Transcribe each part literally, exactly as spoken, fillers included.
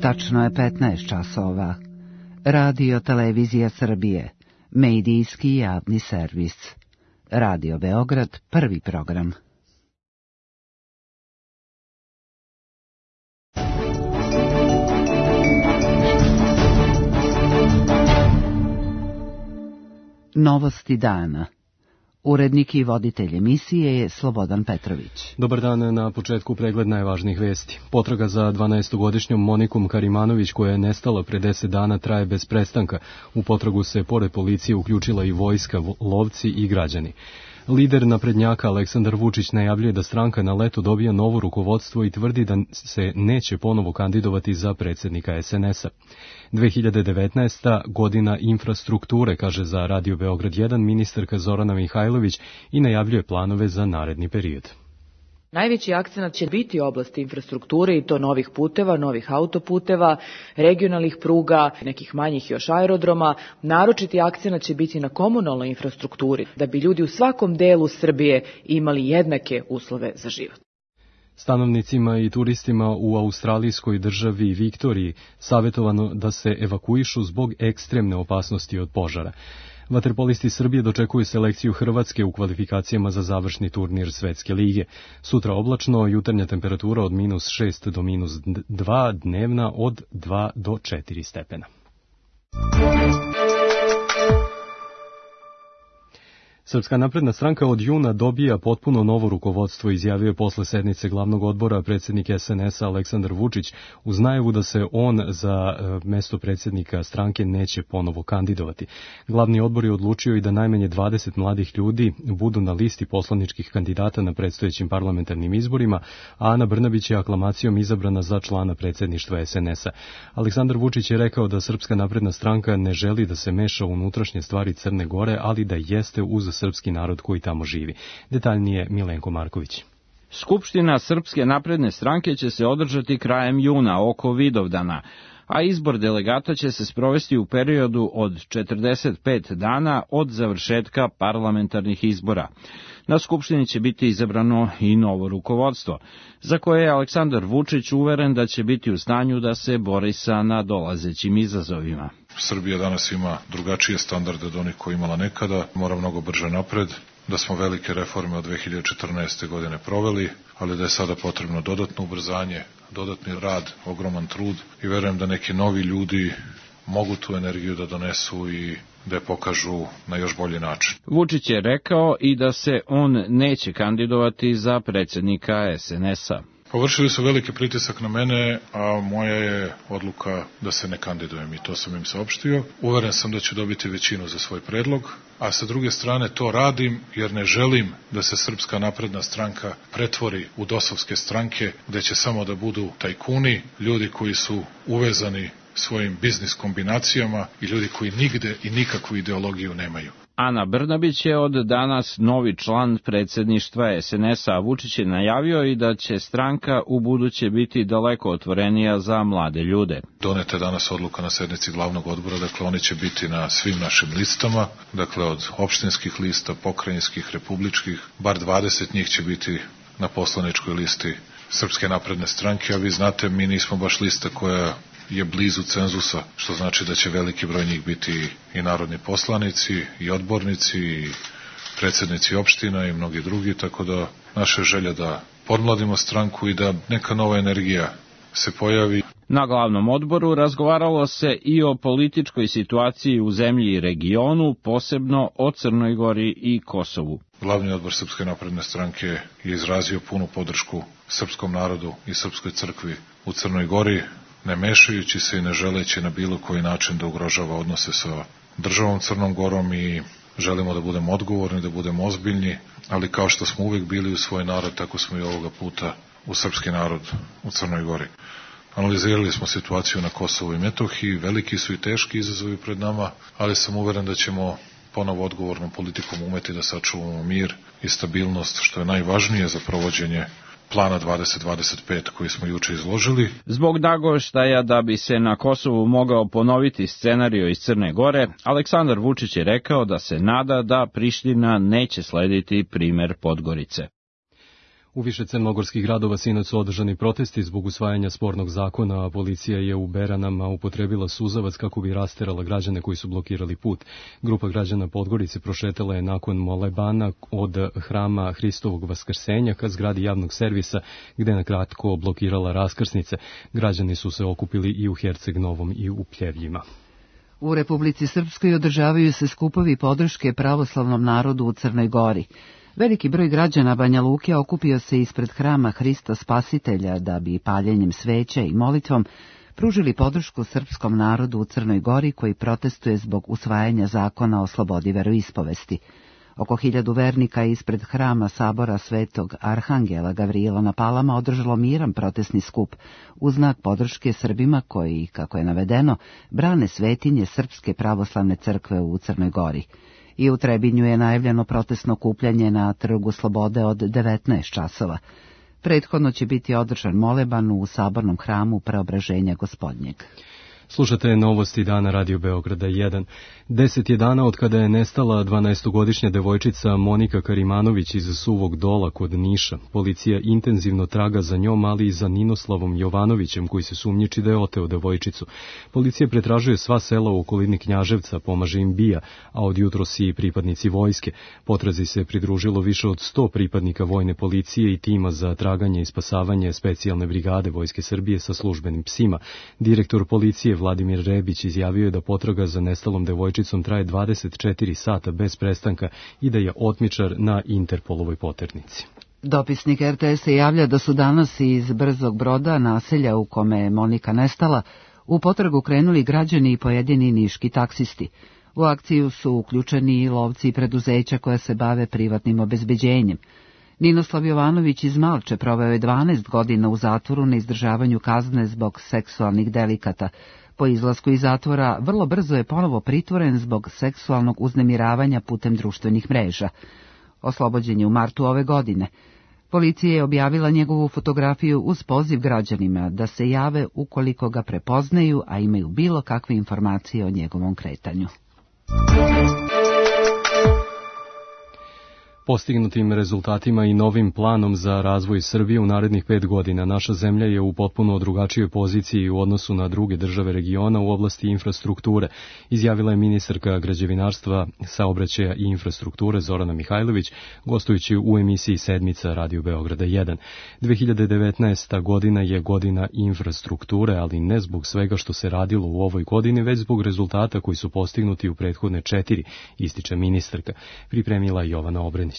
Tačno je petnaest časova. Radio Televizija Srbije, medijski javni servis. Radio Beograd, prvi program. Novosti dana. Urednik i voditelj emisije je Slobodan Petrović. Dobar dan, na početku pregled najvažnijih vesti. Potraga za dvanaestogodišnjom Monikom Karimanović, koja je nestala pre deset dana, traje bez prestanka. U potragu se pored policije uključila i vojska, lovci i građani. Lider naprednjaka Aleksandar Vučić najavljuje da stranka na leto dobija novo rukovodstvo i tvrdi da se neće ponovo kandidovati za predsjednika es en es a. dve hiljade devetnaesta. godina infrastrukture, kaže za Radio Beograd jedan ministarka Zorana Mihajlović i najavljuje planove za naredni period. Najveći akcenat će biti oblasti infrastrukture i to novih puteva, novih autoputeva, regionalnih pruga, nekih manjih još aerodroma. Naročiti akcenat će biti na komunalnoj infrastrukturi, da bi ljudi u svakom delu Srbije imali jednake uslove za život. Stanovnicima i turistima u australijskoj državi Viktoriji savjetovano da se evakuišu zbog ekstremne opasnosti od požara. Vaterpolisti Srbije dočekuju selekciju Hrvatske u kvalifikacijama za završni turnir Svetske lige. Sutra oblačno, jutarnja temperatura od minus šest do minus dva, dnevna od dva do četiri stepena. Srpska napredna stranka od juna dobija potpuno novo rukovodstvo, izjavio je posle sednice glavnog odbora predsjednik es en es a Aleksandar Vučić, uz najavu da se on za mesto predsjednika stranke neće ponovo kandidovati. Glavni odbor je odlučio i da najmanje dvadeset mladih ljudi budu na listi poslaničkih kandidata na predstojećim parlamentarnim izborima, a Ana Brnabić je aklamacijom izabrana za člana predsjedništva es en es a. Aleksandar Vučić je rekao da Srpska napredna stranka ne želi da se meša u unutrašnje stvari Crne Gore, ali da jeste uz srpski narod koji tamo živi. Detaljnije Milenko Marković. Skupština Srpske napredne stranke će se održati krajem juna oko Vidovdana, a izbor delegata će se sprovesti u periodu od četrdeset pet dana od završetka parlamentarnih izbora. Na Skupštini će biti izabrano i novo rukovodstvo, za koje je Aleksandar Vučić uveren da će biti u stanju da se bori sa nadolazećim izazovima. Srbija danas ima drugačije standarde od onih koje imala nekada, mora mnogo brže napred, da smo velike reforme od dve hiljade četrnaeste. godine proveli, ali da je sada potrebno dodatno ubrzanje, dodatni rad, ogroman trud i verujem da neki novi ljudi mogu tu energiju da donesu i da je pokažu na još bolji način. Vučić je rekao i da se on neće kandidovati za predsjednika es en es a. Površili su veliki pritisak na mene, a moja je odluka da se ne kandidujem i to sam im saopštio. Uveren sam da ću dobiti većinu za svoj predlog, a sa druge strane to radim jer ne želim da se Srpska napredna stranka pretvori u dosovske stranke, gde će samo da budu tajkuni, ljudi koji su uvezani svojim biznis kombinacijama i ljudi koji nigde i nikakvu ideologiju nemaju. Ana Brnabić je od danas novi član predsjedništva es en es a, a Vučić je najavio i da će stranka u buduće biti daleko otvorenija za mlade ljude. Doneta je danas odluka na sednici glavnog odbora, dakle oni će biti na svim našim listama, dakle od opštinskih lista, pokrajinskih, republičkih, bar dvadeset njih će biti na poslaničkoj listi Srpske napredne stranke, a vi znate, mi nismo baš lista koja je blizu cenzusa, što znači da će veliki broj njih biti i narodni poslanici, i odbornici, i predsjednici opština i mnogi drugi, tako da naša želja da podmladimo stranku i da neka nova energija se pojavi. Na glavnom odboru razgovaralo se i o političkoj situaciji u zemlji i regionu, posebno o Crnoj Gori i Kosovu. Glavni odbor Srpske napredne stranke je izrazio punu podršku srpskom narodu i srpskoj crkvi u Crnoj Gori, ne mešajući se i ne želeći na bilo koji način da ugrožava odnose sa državom Crnom Gorom i želimo da budemo odgovorni, da budemo ozbiljni, ali kao što smo uvek bili u svoj narod, tako smo i ovoga puta u srpski narod u Crnoj Gori. Analizirali smo situaciju na Kosovu i Metohiji, veliki su i teški izazovi pred nama, ali sam uveren da ćemo ponovo odgovornom politikom umeti da sačuvamo mir i stabilnost, što je najvažnije za provođenje plana dvadeset dvadeset pet koji smo juče izložili. Zbog nagoveštaja da bi se na Kosovu mogao ponoviti scenario iz Crne Gore, Aleksandar Vučić je rekao da se nada da Priština neće slediti primer Podgorice. U više crnogorskih gradova sinoć su održani protesti zbog usvajanja spornog zakona, a policija je u Beranama upotrebila suzavac kako bi rasterala građane koji su blokirali put. Grupa građana Podgorice prošetala je nakon molebana od hrama Hristovog Vaskrsenja ka zgradi javnog servisa, gde na kratko blokirala raskrsnice. Građani su se okupili i u Herceg Novom i u Pljevljima. U Republici Srpskoj održavaju se skupovi podrške pravoslavnom narodu u Crnoj Gori. Veliki broj građana Banja Luke okupio se ispred hrama Hrista Spasitelja da bi paljenjem sveća i molitvom pružili podršku srpskom narodu u Crnoj Gori koji protestuje zbog usvajanja zakona o slobodi veroispovesti. Oko hiljadu vernika ispred hrama sabora Svetog Arhangela Gavrijela na Palama održalo miran protestni skup u znak podrške Srbima koji, kako je navedeno, brane svetinje Srpske pravoslavne crkve u Crnoj Gori. I u Trebinju je najavljeno protestno okupljanje na Trgu Slobode od devetnaest časova. Prethodno će biti održan moleban u sabornom hramu Preobraženja Gospodnjeg. Slušate novosti dana Radio Beograda jedan. Deset je dana od kada je nestala dvanaestogodišnja devojčica Monika Karimanović iz Suvog Dola kod Niša. Policija intenzivno traga za njom, ali i za Ninoslavom Jovanovićem, koji se sumnjiči da je oteo devojčicu. Policija pretražuje sva sela u okolini Knjaževca, pomaže im BIA, a od jutros i pripadnici vojske. Potrazi se pridružilo više od sto pripadnika vojne policije i tima za traganje i spasavanje specijalne brigade Vojske Srbije sa službenim psima. Direktor policije Vladimir Rebić izjavio je da potraga za nestalom devojčicom traje dvadeset četiri sata bez prestanka i da je otmičar na Interpolovoj poternici. Dopisnik er te es javlja da su danas iz Brzog Broda, naselja u kome je Monika nestala, u potragu krenuli građani i pojedini niški taksisti. U akciju su uključeni i lovci i preduzeća koja se bave privatnim obezbeđenjem. Ninoslav Jovanović iz Malče proveo je dvanaest godina u zatvoru na izdržavanju kazne zbog seksualnih delikata. Po izlasku iz zatvora vrlo brzo je ponovo pritvoren zbog seksualnog uznemiravanja putem društvenih mreža. Oslobođen je u martu ove godine. Policija je objavila njegovu fotografiju uz poziv građanima da se jave ukoliko ga prepoznaju, a imaju bilo kakve informacije o njegovom kretanju. Postignutim rezultatima i novim planom za razvoj Srbije u narednih pet godina naša zemlja je u potpuno drugačijoj poziciji u odnosu na druge države regiona u oblasti infrastrukture, izjavila je ministarka građevinarstva, saobraćaja i infrastrukture Zorana Mihajlović, gostujući u emisiji Sedmica Radio Beograda jedan. dve hiljade devetnaesta. godina je godina infrastrukture, ali ne zbog svega što se radilo u ovoj godini, već zbog rezultata koji su postignuti u prethodne četiri, ističe ministarka, pripremila Jovana Obrenić.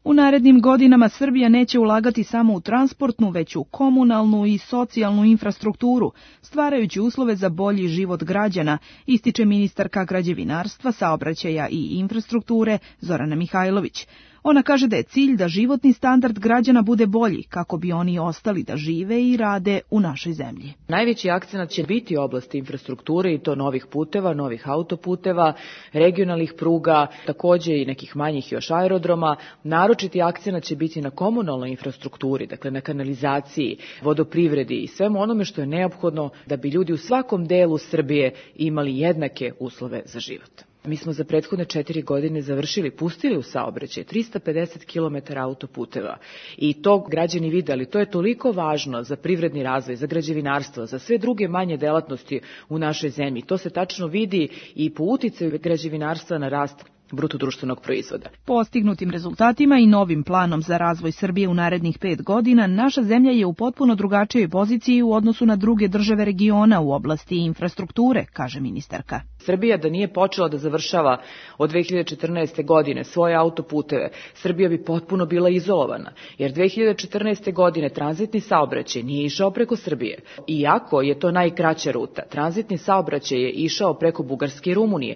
U narednim godinama Srbija neće ulagati samo u transportnu, već u komunalnu i socijalnu infrastrukturu, stvarajući uslove za bolji život građana, ističe ministarka građevinarstva, saobraćaja i infrastrukture Zorana Mihajlović. Ona kaže da je cilj da životni standard građana bude bolji, kako bi oni ostali da žive i rade u našoj zemlji. Najveći akcenat će biti oblasti infrastrukture i to novih puteva, novih autoputeva, regionalnih pruga, takođe i nekih manjih još aerodroma. Naročiti akcenat će biti na komunalnoj infrastrukturi, dakle na kanalizaciji, vodoprivredi i svemu onome što je neophodno da bi ljudi u svakom delu Srbije imali jednake uslove za život. Mi smo za prethodne četiri godine završili, pustili u saobraćaj trista pedeset kilometara autoputeva i to građani vide, ali to je toliko važno za privredni razvoj, za građevinarstvo, za sve druge manje delatnosti u našoj zemlji. To se tačno vidi i po uticaju građevinarstva na rast bruto društvenog proizvoda. Postignutim rezultatima i novim planom za razvoj Srbije u narednih pet godina, naša zemlja je u potpuno drugačijoj poziciji u odnosu na druge države regiona u oblasti infrastrukture, kaže ministarka. Srbija da nije počela da završava od dve hiljade četrnaeste. godine svoje autoputeve, Srbija bi potpuno bila izolovana, jer dve hiljade četrnaeste. godine tranzitni saobraćaj nije išao preko Srbije. Iako je to najkraća ruta, tranzitni saobraćaj je išao preko Bugarske i Rumunije.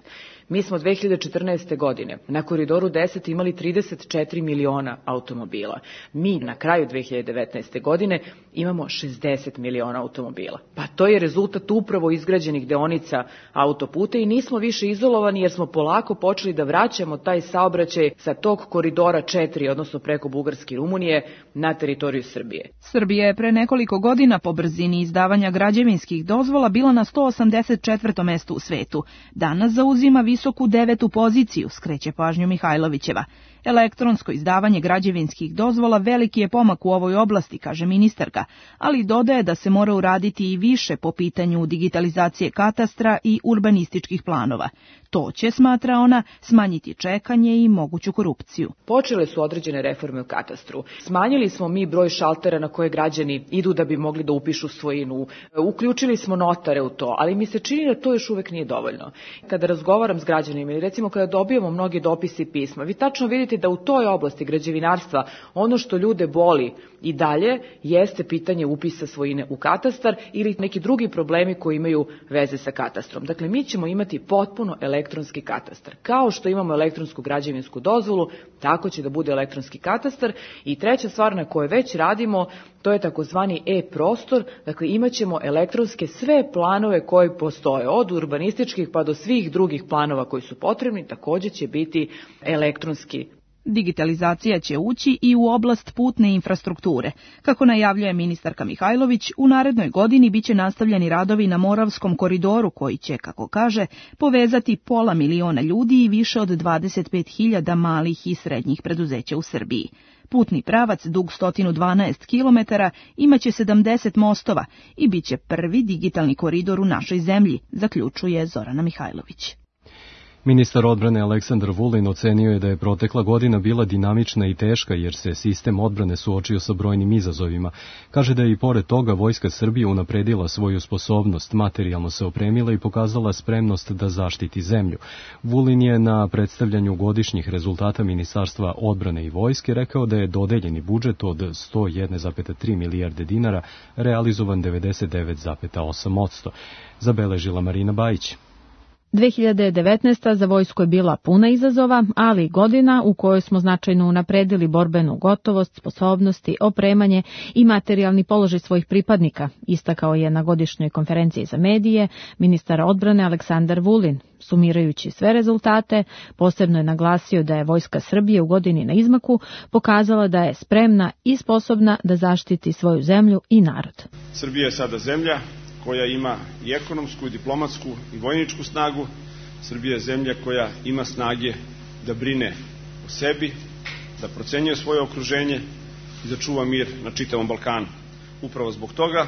Mi smo dve hiljade četrnaeste. godine na Koridoru deset imali trideset četiri miliona automobila. Mi na kraju dve hiljade devetnaeste. godine imamo šezdeset miliona automobila. Pa to je rezultat upravo izgrađenih deonica autoputa i nismo više izolovani jer smo polako počeli da vraćamo taj saobraćaj sa tog Koridora četiri, odnosno preko Bugarske i Rumunije, na teritoriju Srbije. Srbija je pre nekoliko godina po brzini izdavanja građevinskih dozvola bila na sto osamdeset četvrtom mestu u svetu. Danas zauzima visoku devetu poziciju, skreće pažnju Mihajlovićeva. Elektronsko izdavanje građevinskih dozvola veliki je pomak u ovoj oblasti, kaže ministarka, ali dodaje da se mora uraditi i više po pitanju digitalizacije katastra i urbanističkih planova. To će, smatra ona, smanjiti čekanje i moguću korupciju. Počele su određene reforme u katastru. Smanjili smo mi broj šaltera na koje građani idu da bi mogli da upišu svojinu. Uključili smo notare u to, ali mi se čini da to još uvek nije dovoljno. Kada razgovaram s građanima ili recimo kada dobijemo mnogi dopisi i pisma, vi tačno vidite da u toj oblasti građevinarstva ono što ljude boli i dalje jeste pitanje upisa svojine u katastar ili neki drugi problemi koji imaju veze sa katastrom. Dakle, mi ćemo imati potpuno elektronski katastar. Kao što imamo elektronsku građevinsku dozvolu, tako će da bude elektronski katastar. I treća stvar na kojoj već radimo, to je takozvani e-prostor. Dakle, imat ćemo elektronske sve planove koji postoje, od urbanističkih pa do svih drugih planova koji su potrebni, također će biti elektronski. Digitalizacija će ući i u oblast putne infrastrukture. Kako najavljuje ministarka Mihajlović, u narednoj godini biće nastavljeni radovi na Moravskom koridoru koji će, kako kaže, povezati pola miliona ljudi i više od dvadeset pet hiljada malih i srednjih preduzeća u Srbiji. Putni pravac dug sto dvanaest kilometara imaće sedamdeset mostova i biće prvi digitalni koridor u našoj zemlji, zaključuje Zorana Mihajlović. Ministar odbrane Aleksandar Vulin ocenio je da je protekla godina bila dinamična i teška jer se sistem odbrane suočio sa brojnim izazovima. Kaže da je i pored toga Vojska Srbije unapredila svoju sposobnost, materijalno se opremila i pokazala spremnost da zaštiti zemlju. Vulin je na predstavljanju godišnjih rezultata Ministarstva odbrane i vojske rekao da je dodeljeni budžet od sto jedna zarez tri milijarde dinara realizovan devedeset devet zarez osam posto. Zabeležila Marina Bajić. dve hiljade devetnaesta. za vojsku je bila puna izazova, ali i godina u kojoj smo značajno unapredili borbenu gotovost, sposobnosti, opremanje i materijalni položaj svojih pripadnika, istakao je na godišnjoj konferenciji za medije ministar odbrane Aleksandar Vulin. Sumirajući sve rezultate, posebno je naglasio da je Vojska Srbije u godini na izmaku pokazala da je spremna i sposobna da zaštiti svoju zemlju i narod. Srbija je sada zemlja koja ima i ekonomsku, i diplomatsku, i vojničku snagu. Srbija je zemlja koja ima snage da brine o sebi, da procenjuje svoje okruženje i da čuva mir na čitavom Balkanu. Upravo zbog toga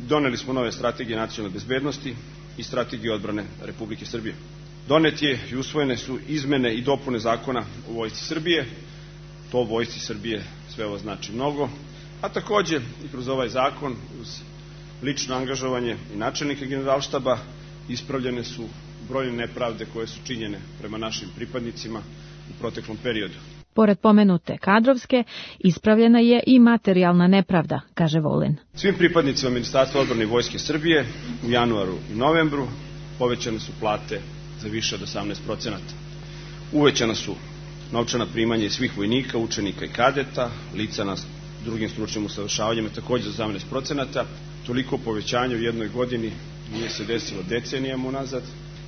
doneli smo nove strategije nacionalne bezbednosti i strategije odbrane Republike Srbije. Donet je i usvojene su izmene i dopune zakona o Vojsci Srbije. To Vojsci Srbije sve ovo znači mnogo, a takođe i kroz ovaj zakon uz lično angažovanje i načelnika generalštaba ispravljene su brojne nepravde koje su činjene prema našim pripadnicima u proteklom periodu. Pored pomenute kadrovske, ispravljena je i materijalna nepravda, kaže Vulin. Svim pripadnicima Ministarstva odbrane i Vojske Srbije u januaru i novembru povećane su plate za više od osamnaest procenata. Uvećana su novčana primanja svih vojnika, učenika i kadeta, lica na drugim stručnim usavršavanjima takođe za osamnaest procenata. Toliko povećanje u jednoj godini nije se desilo decenijama unazad.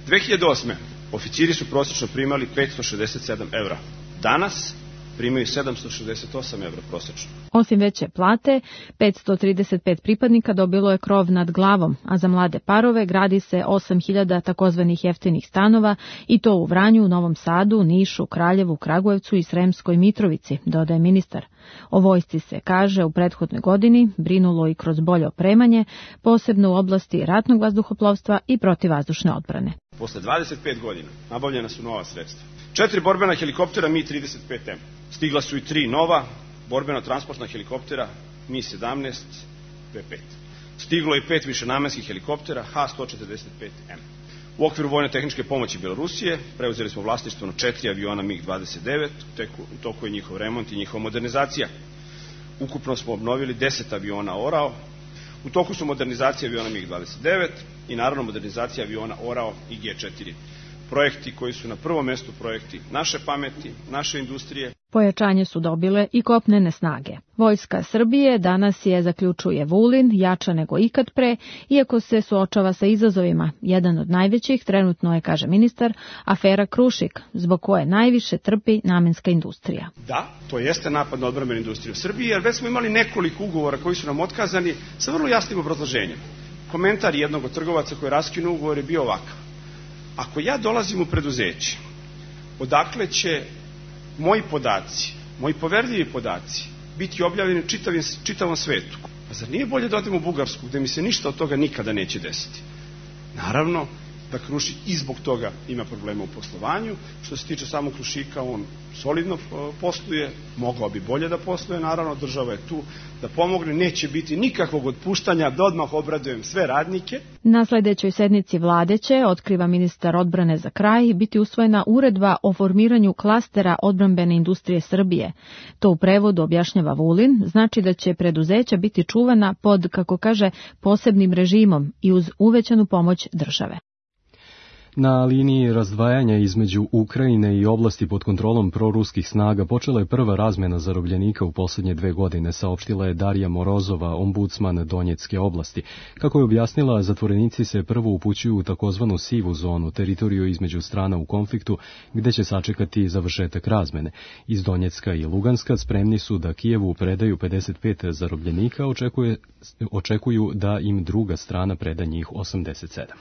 dve hiljade osme. oficiri su prosečno primali petsto šezdeset sedam evra. Danas primaju sedamsto šezdeset osam evra prosečno. Osim veće plate, petsto trideset pet pripadnika dobilo je krov nad glavom, a za mlade parove gradi se osam hiljada takozvanih jeftinih stanova i to u Vranju, Novom Sadu, Nišu, Kraljevu, Kragujevcu i Sremskoj Mitrovici, dodaje ministar. O vojsci se, kaže, u prethodnoj godini brinulo i kroz bolje opremanje, posebno u oblasti ratnog vazduhoplovstva i protivvazdušne odbrane. Posle dvadeset pet godina nabavljena su nova sredstva. Četiri borbena helikoptera Mi trideset pet M. Stigla su i tri nova borbeno-transportna helikoptera Mi sedamnaest P pet. Stiglo je i pet višenamenskih helikoptera H sto četrdeset pet M. U okviru vojne tehničke pomoći Belorusije preuzeli smo vlasništvo na četiri aviona MiG dvadeset devet, u toku je njihov remont i njihova modernizacija. Ukupno smo obnovili deset aviona Orao, u toku su modernizacija aviona MiG dvadeset devet i naravno modernizacija aviona Orao i G četiri. Projekti koji su na prvom mestu projekti naše pameti, naše industrije. Pojačanje su dobile i kopnene snage. Vojska Srbije danas je, zaključuje Vulin, jača nego ikad pre, iako se suočava sa izazovima. Jedan od najvećih trenutno je, kaže ministar, afera Krušik, zbog koje najviše trpi namenska industrija. Da, to jeste napad na odbrambenu industriju Srbije, jer već smo imali nekoliko ugovora koji su nam otkazani sa vrlo jasnim obrazloženjem. Komentar jednog od trgovaca koji je raskinuo ugovor je bio ovakav. Ako ja dolazim u preduzeće, odakle će moji podaci, moji poverljivi podaci, biti objavljeni čitavim, čitavom svetu. Pa zar nije bolje da odem u Bugarsku, gde mi se ništa od toga nikada neće desiti? Naravno da Krušik i zbog toga ima problema u poslovanju. Što se tiče samog Krušika, on solidno posluje, mogao bi bolje da posluje, naravno, država je tu da pomogne, neće biti nikakvog otpuštanja, da odmah obradujem sve radnike. Na sledećoj sednici vlade će, otkriva ministar odbrane za kraj, biti usvojena uredba o formiranju klastera odbrambene industrije Srbije. To u prevodu, objašnjava Vulin, znači da će preduzeća biti čuvana pod, kako kaže, posebnim režimom i uz uvećanu pomoć države. Na liniji razdvajanja između Ukrajine i oblasti pod kontrolom proruskih snaga počela je prva razmena zarobljenika u posljednje dve godine, saopštila je Darija Morozova, ombudsman Donjecke oblasti. Kako je objasnila, zatvorenici se prvo upućuju u takozvanu sivu zonu, teritoriju između strana u konfliktu, gde će sačekati završetak razmene. Iz Donjecka i Luganska spremni su da Kijevu predaju pedeset pet zarobljenika, očekuje, očekuju da im druga strana preda njih osamdeset sedam.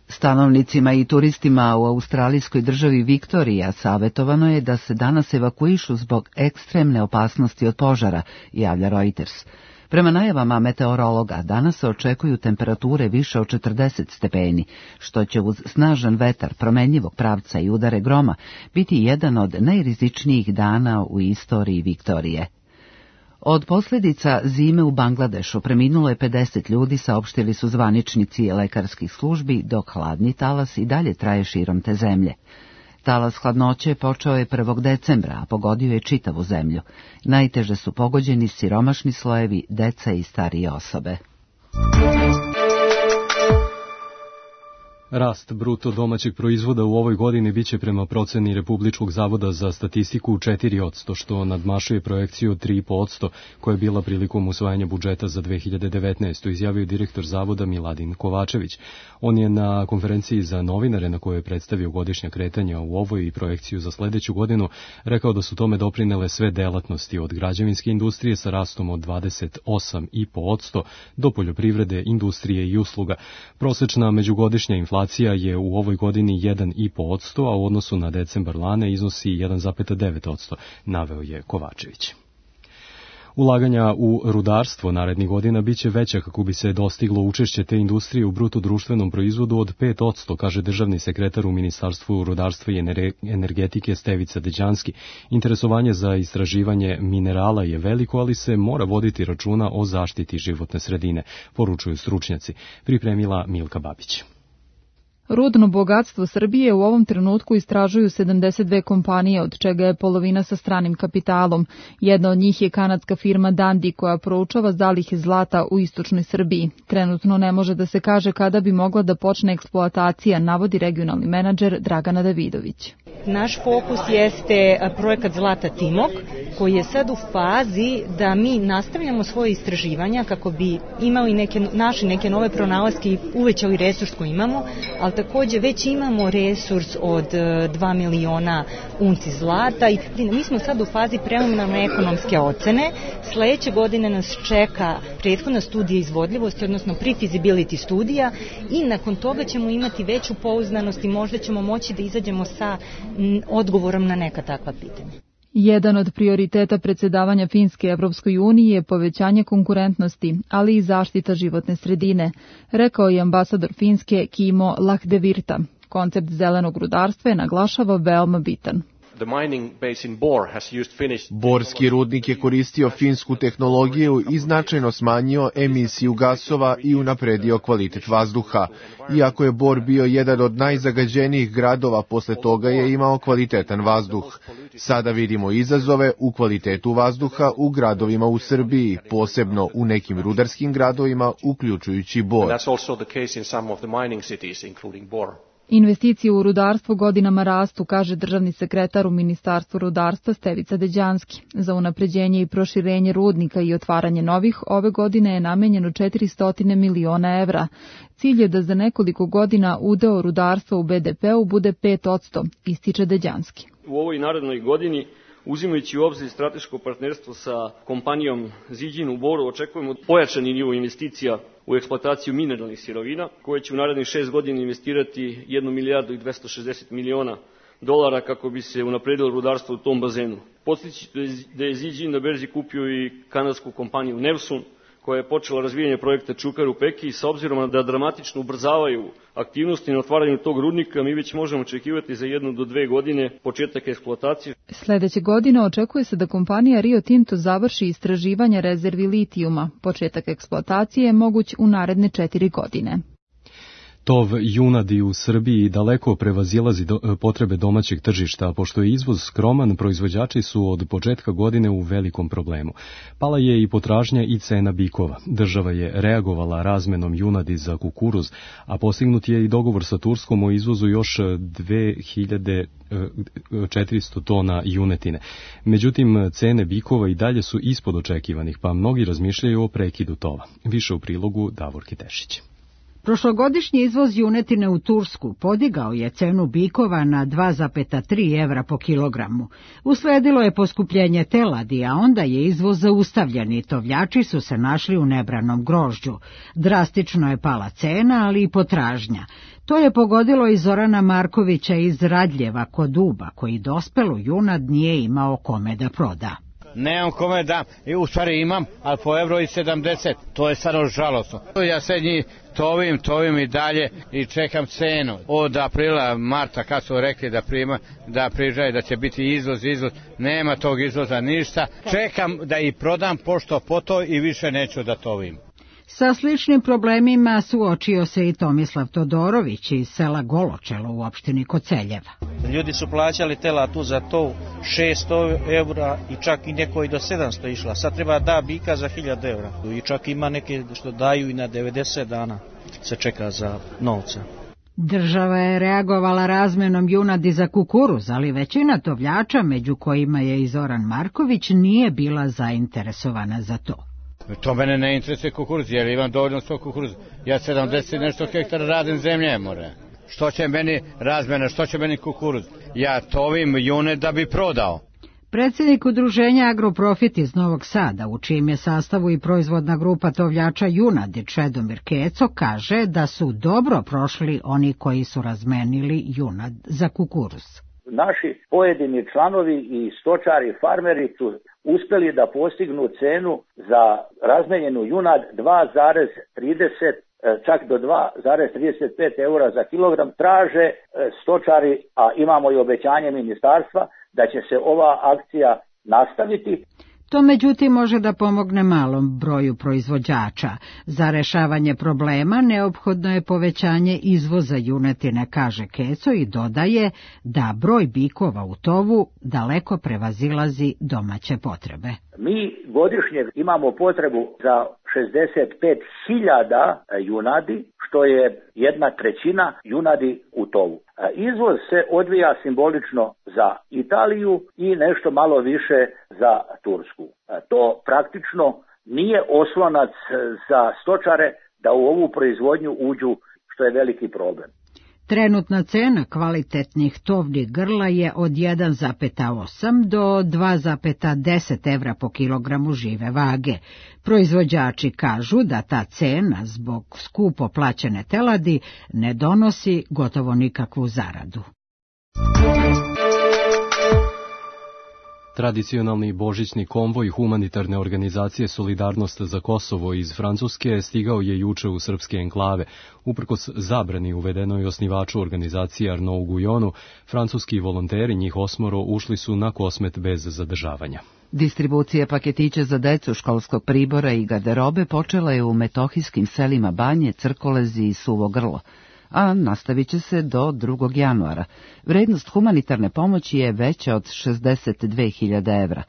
Stanovnicima i turistima u australijskoj državi Viktorija savjetovano je da se danas evakuišu zbog ekstremne opasnosti od požara, javlja Reuters. Prema najavama meteorologa, danas se očekuju temperature više od četrdeset stepeni, što će uz snažan vetar promenljivog pravca i udare groma biti jedan od najrizičnijih dana u istoriji Viktorije. Od posljedica zime u Bangladešu preminulo je pedeset ljudi, saopštili su zvaničnici lekarskih službi, dok hladni talas i dalje traje širom te zemlje. Talas hladnoće počeo je prvog decembra, a pogodio je čitavu zemlju. Najteže su pogođeni siromašni slojevi, deca i starije osobe. Rast bruto domaćeg proizvoda u ovoj godini biće prema proceni Republičkog zavoda za statistiku četiri posto, što nadmašuje projekciju od tri zarez pet posto koja je bila prilikom usvajanja budžeta za dve hiljade devetnaestu, izjavio direktor zavoda Miladin Kovačević. On je na konferenciji za novinare na kojoj je predstavio godišnja kretanja u ovoj i projekciju za sledeću godinu rekao da su tome doprinele sve delatnosti od građevinske industrije sa rastom od dvadeset osam zarez pet posto do poljoprivrede, industrije i usluga. Prosečna međugodišnja inflacija Inflacija je u ovoj godini jedan zarez pet posto, a u odnosu na decembar lane iznosi jedan zarez devet posto, naveo je Kovačević. Ulaganja u rudarstvo narednih godina biće veća kako bi se dostiglo učešće te industrije u bruto društvenom proizvodu od pet posto, kaže državni sekretar u Ministarstvu rudarstva i energetike Stevica Deđanski. Interesovanje za istraživanje minerala je veliko, ali se mora voditi računa o zaštiti životne sredine, poručuju stručnjaci. Pripremila Milka Babić. Rudno bogatstvo Srbije u ovom trenutku istražuju sedamdeset dve kompanije, od čega je polovina sa stranim kapitalom. Jedna od njih je kanadska firma Dundee, koja proučava zalihe zlata u istočnoj Srbiji. Trenutno ne može da se kaže kada bi mogla da počne eksploatacija, navodi regionalni menadžer Dragana Davidović. Naš fokus jeste projekat Zlata Timok, koji je sad u fazi da mi nastavljamo svoje istraživanja kako bi imali neke, naši neke nove pronalaske i uvećali resurs koji imamo, ali takođe već imamo resurs od dva miliona unci zlata i mi smo sad u fazi preliminarne ekonomske ocene. Sledeće godine nas čeka prethodna studija izvodljivosti, odnosno pre-feasibility studija, i nakon toga ćemo imati veću pouzdanost i možda ćemo moći da izađemo sa odgovorom na neka takva pitanja. Jedan od prioriteta predsjedavanja Finske Evropskoj uniji je povećanje konkurentnosti, ali i zaštita životne sredine, rekao je ambasador Finske Kimo Lahdevirta. Koncept zelenog rudarstva je, naglašava, veoma bitan. Borski rudnik je koristio finsku tehnologiju i značajno smanjio emisiju gasova i unapredio kvalitet vazduha. Iako je Bor bio jedan od najzagađenijih gradova, posle toga je imao kvalitetan vazduh. Sada vidimo izazove u kvalitetu vazduha u gradovima u Srbiji, posebno u nekim rudarskim gradovima, uključujući Bor. Investicije u rudarstvo godinama rastu, kaže državni sekretar u Ministarstvu rudarstva Stevica Deđanski. Za unapređenje i proširenje rudnika i otvaranje novih ove godine je namenjeno četiristo miliona evra. Cilj je da za nekoliko godina udeo rudarstva u be de pe u bude pet posto, ističe Deđanski. U ovoj narednoj godini, uzimajući u obzir strateško partnerstvo sa kompanijom Ziđin u Boru, očekujemo pojačani nivo investicija u eksploataciju mineralnih sirovina, koje će u narednih šest godina investirati jednu milijardu i dvesta šezdeset miliona dolara kako bi se unapredilo rudarstvo u tom bazenu. Podsjeći da je Ziđin na berzi kupio i kanadsku kompaniju Nevsun, koja je počela razvijanje projekta Čukar u Peki, i sa obzirom da dramatično ubrzavaju aktivnosti na otvaranju tog rudnika, mi već možemo očekivati za jednu do dve godine početak eksploatacije. Sledeće godine očekuje se da kompanija Rio Tinto završi istraživanje rezervi litijuma. Početak eksploatacije je moguć u naredne četiri godine. Tov junadi u Srbiji daleko prevazilazi do, potrebe domaćeg tržišta, a pošto je izvoz skroman, proizvođači su od početka godine u velikom problemu. Pala je i potražnja i cena bikova. Država je reagovala razmenom junadi za kukuruz, a postignut je i dogovor sa Turskom o izvozu još dve hiljade četiristo tona junetine. Međutim, cene bikova i dalje su ispod očekivanih, pa mnogi razmišljaju o prekidu tova. Više u prilogu Davorke Tešić. Prošlogodišnji izvoz junetine u Tursku podigao je cenu bikova na dva zarez tri evra po kilogramu. Usledilo je poskupljenje teladi, a onda je izvoz zaustavljen i tovljači su se našli u nebranom grožđu. Drastično je pala cena, ali i potražnja. To je pogodilo i Zorana Markovića iz Radljeva kod Duba, koji dospelu junad nije imao kome da proda. Nemam kome dam, i u stvari imam, ali po evro i sedamdeset, to je stvarno žalostno. Ja se njih tovim, tovim i dalje i čekam cenu. Od aprila, marta, kad su rekli da prima, da prižaju, da će biti izvoz, izvoz, nema tog izvoza ništa. Čekam da i prodam pošto po to i više neću da tovim. Sa sličnim problemima suočio se i Tomislav Todorović iz sela Goločelo u opštini Koceljeva. Ljudi su plaćali telatu za to šesto evra i čak i neko i do sedamsto išla. Sad treba da bika za hiljadu evra. I čak ima neke što daju i na devedeset dana se čeka za novca. Država je reagovala razmenom junadi za kukuruz, ali većina tovljača, među kojima je i Zoran Marković, nije bila zainteresovana za to. To mene ne interesuje kukuruz, jer imam dovoljno sto kukuruz. Ja sedamdeset nešto hektara radim zemlje, more. Što će meni razmena, što će meni kukuruz? Ja tovim june da bi prodao. Predsjednik udruženja Agroprofit iz Novog Sada, u čijem je sastavu i proizvodna grupa tovljača junadi, Čedomir Keco, kaže da su dobro prošli oni koji su razmenili junad za kukuruz. Naši pojedini članovi i stočari, farmeri su uspjeli da postignu cenu za razmenjenu junad dva zarez trideset, čak do dva zarez trideset pet eura za kilogram. Traže stočari, a imamo i obećanje ministarstva, da će se ova akcija nastaviti. To međutim može da pomogne malom broju proizvođača. Za rešavanje problema neophodno je povećanje izvoza junetine, kaže Keco, i dodaje da broj bikova u tovu daleko prevazilazi domaće potrebe. Mi godišnje imamo potrebu za šezdeset pet hiljada junadi, što je jedna trećina junadi u tovu. Izvoz se odvija simbolično za Italiju i nešto malo više za Tursku. To praktično nije oslonac za stočare da u ovu proizvodnju uđu, što je veliki problem. Trenutna cena kvalitetnih tovnih grla je od jedan zarez osam do dva zarez deset evra po kilogramu žive vage. Proizvođači kažu da ta cena zbog skupo plaćene teladi ne donosi gotovo nikakvu zaradu. Tradicionalni božićni konvoj humanitarne organizacije Solidarnost za Kosovo iz Francuske stigao je juče u srpske enklave. Uprkos zabrani uvedenoj osnivaču organizacije Arnaud Guyonu, francuski volonteri, njih osmoro, ušli su na Kosmet bez zadržavanja. Distribucija paketića za decu, školskog pribora i garderobe počela je u metohijskim selima Banje, Crkolezi i Suvo Grlo, a nastavit će se do drugog januara. Vrednost humanitarne pomoći je veća od šezdeset dve hiljade evra.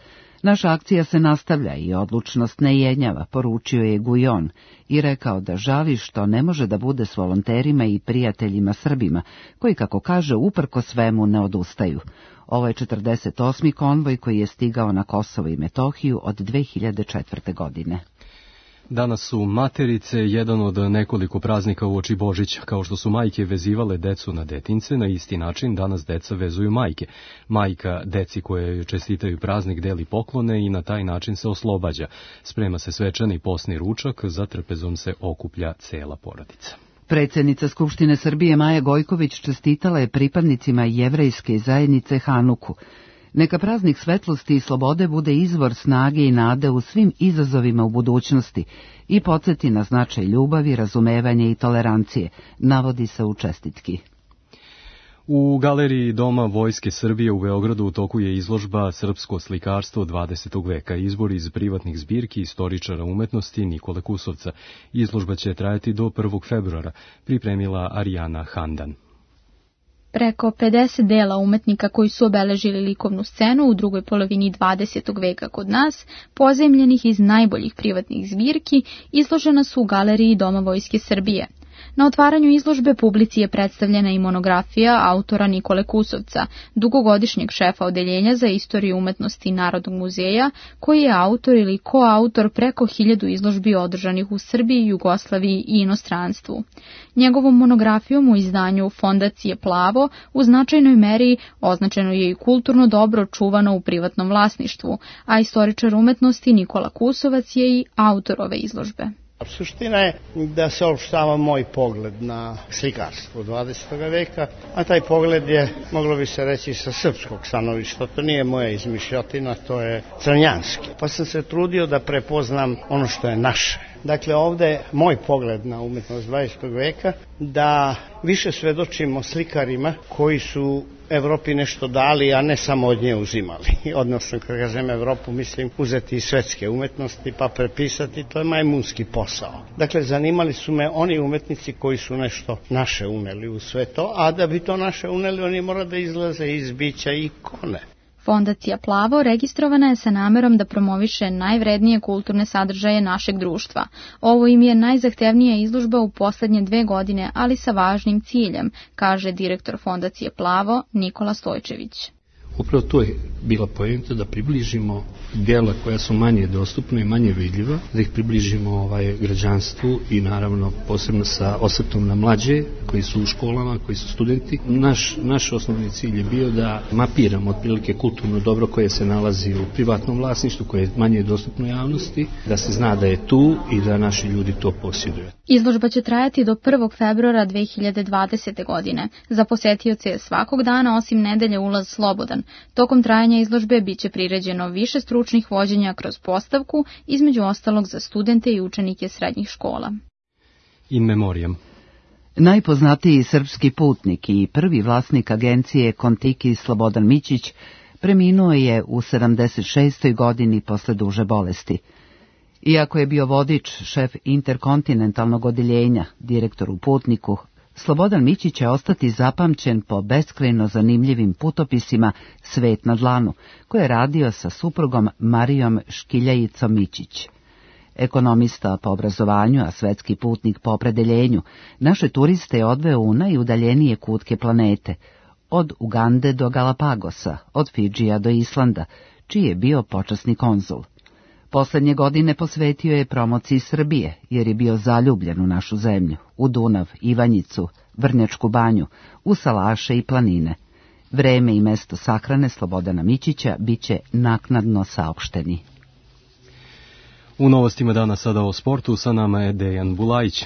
Naša akcija se nastavlja i odlučnost ne jenjava, poručio je Gujon i rekao da žali što ne može da bude s volonterima i prijateljima Srbima, koji, kako kaže, uprko svemu ne odustaju. Ovo je četrdeset osmi konvoj koji je stigao na Kosovo i Metohiju od dve hiljade četvrte. godine. Danas su materice jedan od nekoliko praznika uoči Božića. Kao što su majke vezivale decu na detince, na isti način danas deca vezuju majke. Majka deci koje čestitaju praznik deli poklone i na taj način se oslobađa. Sprema se svečani posni ručak, za trpezom se okuplja cela porodica. Predsjednica Skupštine Srbije Maja Gojković čestitala je pripadnicima jevrejske zajednice Hanuku. Neka praznik svetlosti i slobode bude izvor snage i nade u svim izazovima u budućnosti i podsjeti na značaj ljubavi, razumevanja i tolerancije, navodi se u čestitki. U galeriji Doma Vojske Srbije u Beogradu u toku je izložba Srpsko slikarstvo dvadesetog veka, izbor iz privatnih zbirki istoričara umetnosti Nikole Kusovca. Izložba će trajati do prvog februara, pripremila Arijana Handan. Preko pedeset dela umetnika koji su obeležili likovnu scenu u drugoj polovini dvadesetog veka kod nas, pozajmljenih iz najboljih privatnih zbirki, izložena su u galeriji Doma Vojske Srbije. Na otvaranju izložbe publici je predstavljena i monografija autora Nikole Kusovca, dugogodišnjeg šefa odeljenja za istoriju umetnosti Narodnog muzeja, koji je autor ili koautor preko hiljadu izložbi održanih u Srbiji, Jugoslaviji i inostranstvu. Njegovom monografijom u izdanju Fondacije Plavo u značajnoj meri označeno je i kulturno dobro čuvano u privatnom vlasništvu, a istoričar umetnosti Nikola Kusovac je i autor ove izložbe. Suština je da se opštava moj pogled na slikarstvo dvadesetog veka, a taj pogled je, moglo bi se reći, sa srpskog stanovišta. To nije moja izmišljotina, to je crnjanski. Pa sam se trudio da prepoznam ono što je naše. Dakle, ovde je moj pogled na umetnost dvadesetog veka, da više svedočimo slikarima koji su Evropi nešto dali, a ne samo od nje uzimali. Odnosno, kad kažem Evropu, mislim uzeti iz svetske umetnosti pa prepisati, to je majmunski posao. Dakle, zanimali su me oni umetnici koji su nešto naše uneli u sve to, a da bi to naše uneli, oni mora da izlaze iz bića ikone. Fondacija Plavo registrovana je sa namerom da promoviše najvrednije kulturne sadržaje našeg društva. Ovo im je najzahtevnija izložba u poslednje dve godine, ali sa važnim ciljem, kaže direktor Fondacije Plavo Nikola Stojčević. Upravo to je bila poenta da približimo dela koja su manje dostupna i manje vidljiva, da ih približimo ovaj građanstvu i naravno posebno sa osvrtom na mlađe koji su u školama, koji su studenti. Naš, naš osnovni cilj je bio da mapiramo otprilike kulturno dobro koje se nalazi u privatnom vlasništvu, koje je manje dostupno javnosti, da se zna da je tu i da naši ljudi to posjeduju. Izložba će trajati do prvog februara dve hiljade dvadesete. godine. Za posetioce je svakog dana osim nedelje ulaz slobodan. Tokom trajanja izložbe biće priređeno više stručnih vođenja kroz postavku, između ostalog za studente i učenike srednjih škola. In memoriam. Najpoznatiji srpski putnik i prvi vlasnik agencije Kontiki Slobodan Mićić preminuo je u sedamdeset šestoj godini posle duže bolesti. Iako je bio vodič, šef interkontinentalnog odeljenja, direktor u Putniku, Slobodan Mićić će ostati zapamćen po beskrajno zanimljivim putopisima Svet na dlanu, koje je radio sa suprugom Marijom Škiljajicom Mićić. Ekonomista po obrazovanju, a svetski putnik po opredeljenju, naše turiste je odveo u najudaljenije kutke planete, od Ugande do Galapagosa, od Fidžija do Islanda, čiji je bio počasni konzul. Poslednje godine posvetio je promociji Srbije, jer je bio zaljubljen u našu zemlju, u Dunav, Ivanjicu, Vrnjačku banju, u salaše i planine. Vreme i mesto sahrane Slobodana Mićića biće naknadno saopšteni. U novostima dana sada o sportu, sa nama je Dejan Bulajić.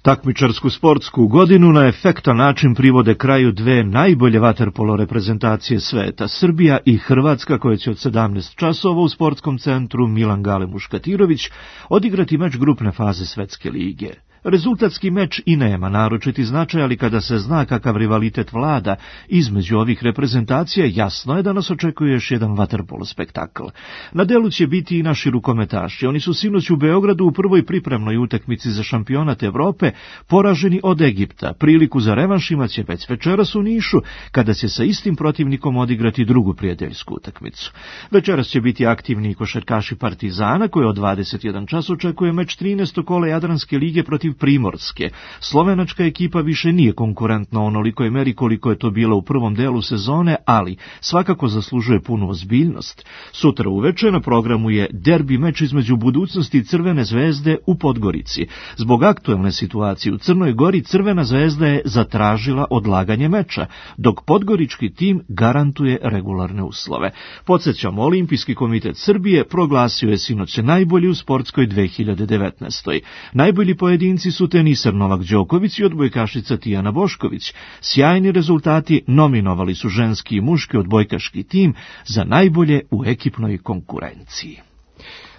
Takmičarsku sportsku godinu na efektan način privode kraju dve najbolje vaterpolo reprezentacije sveta, Srbija i Hrvatska, koje će od sedamnaest časova u sportskom centru Milan Gale Muškatirović odigrati meč grupne faze Svetske lige. Rezultatski meč i nema naročiti značaj, ali kada se zna kakav rivalitet vlada između ovih reprezentacija, jasno je da nas očekuje još jedan vaterpolo spektakl. Na delu će biti i naši rukometaši. Oni su sinoć u Beogradu u prvoj pripremnoj utakmici za šampionat Evrope poraženi od Egipta. Priliku za revanš imaće već večeras u Nišu, kada će sa istim protivnikom odigrati drugu prijateljsku utakmicu. Večeras će biti aktivni košarkaši Partizana, koji od dvadeset jedan čas očekuje meč trinaestog kola Jadranske lige protiv Primorske. Slovenačka ekipa više nije konkurentna onolikoj meri koliko je to bila u prvom delu sezone, ali svakako zaslužuje punu ozbiljnost. Sutra uveče na programu je derbi meč između Budućnosti i Crvene zvezde u Podgorici. Zbog aktuelne situacije u Crnoj Gori, Crvena zvezda je zatražila odlaganje meča, dok podgorički tim garantuje regularne uslove. Podsjećamo, Olimpijski komitet Srbije proglasio je sinoć najbolji u sportskoj dve hiljade devetnaestoj. Najbolji pojedinci pobednici su teniser Novak Đoković i odbojkašica Tijana Bošković. Sjajni rezultati nominovali su ženski i muški odbojkaški tim za najbolje u ekipnoj konkurenciji.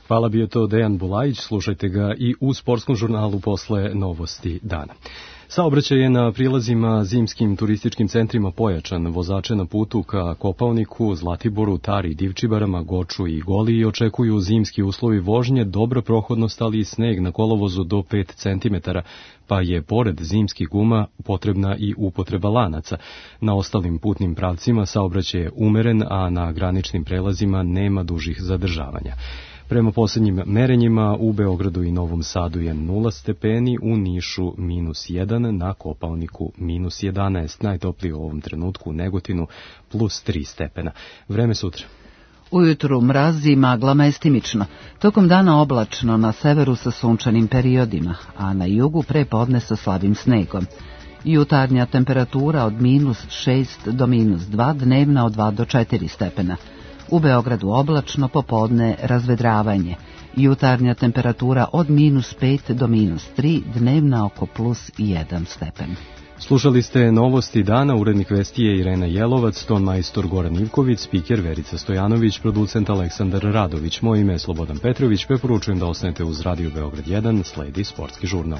Hvala, bio to Dejan Bulajić, slušajte ga i u sportskom žurnalu posle novosti dana. Saobraćaj je na prilazima zimskim turističkim centrima pojačan. Vozače na putu ka Kopaoniku, Zlatiboru, Tari, Divčibarama, Goču i Goliji očekuju zimski uslovi vožnje, dobra prohodnost, ali i sneg na kolovozu do pet centimetara, pa je pored zimskih guma potrebna i upotreba lanaca. Na ostalim putnim pravcima saobraćaj je umeren, a na graničnim prelazima nema dužih zadržavanja. Prema posljednjim merenjima u Beogradu i Novom Sadu je nula stepeni, u Nišu minus jedan, na Kopaoniku minus jedanaest, najtoplije u ovom trenutku u Negotinu plus tri stepena. Vreme sutra. Ujutru mraz i magla mestimično, tokom dana oblačno na severu sa sunčanim periodima, a na jugu pre podne sa slabim snegom. Jutarnja temperatura od minus šest do minus dva, dnevna od dva do četiri stepena. U Beogradu oblačno, popodne razvedravanje. Jutarnja temperatura od minus pet do minus tri, dnevna oko plus jedan stepen. Slušali ste novosti dana, urednik vesti je Irena Jelovac, ton majstor Goran Ivković, spiker Verica Stojanović, producent Aleksandar Radović. Moje ime je Slobodan Petrović, preporučujem da ostanete uz Radio Beograd jedan, sledi sportski žurnal.